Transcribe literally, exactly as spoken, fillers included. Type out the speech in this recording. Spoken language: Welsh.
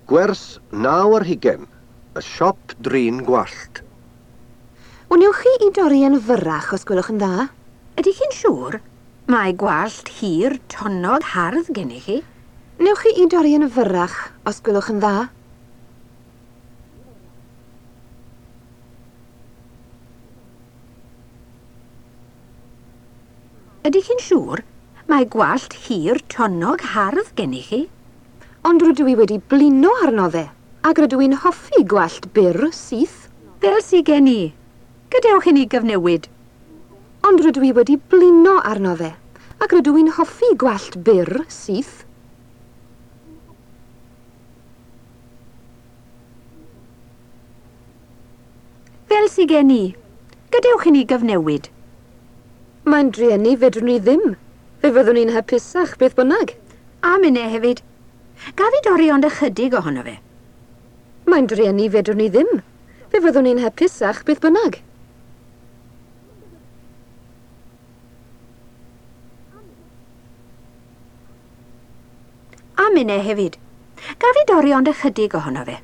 Gwers naw ar hugain, y siop drin gwallt. Wnewch chi i dorri yn fyrrach os gwelwch yn dda? Ydych chi'n siŵr? Mae gwallt hir, tonnog, hardd gennych chi. Newch chi i dorri yn fyrrach os gwelwch yn dda? Ydych chi'n siŵr? Mae gwallt hir, tonnog, hardd gennych chi. Ond rydw i wedi blino arno fe, ac rydw i'n hoffi gwallt byr, syth. Fel sy gen i. Gadewch i ni gyfnewid. Ond rydw i wedi blino arno fe, ac rydw i'n hoffi gwallt byr, syth. Fel sy gen i. Gadewch i ni gyfnewid. Mae'n drueni fedrwn ni ddim. Fe fyddwn ni'n hapusach beth bynnag. A minne hefyd. Gaf i dorri ond ychydig ohono fe. Mae'n drueni fedrwn ni ddim. Fe fyddwn ni'n hapusach beth bynnag. A minne hefyd. Gaf i dorri ond ychydig ohono fe.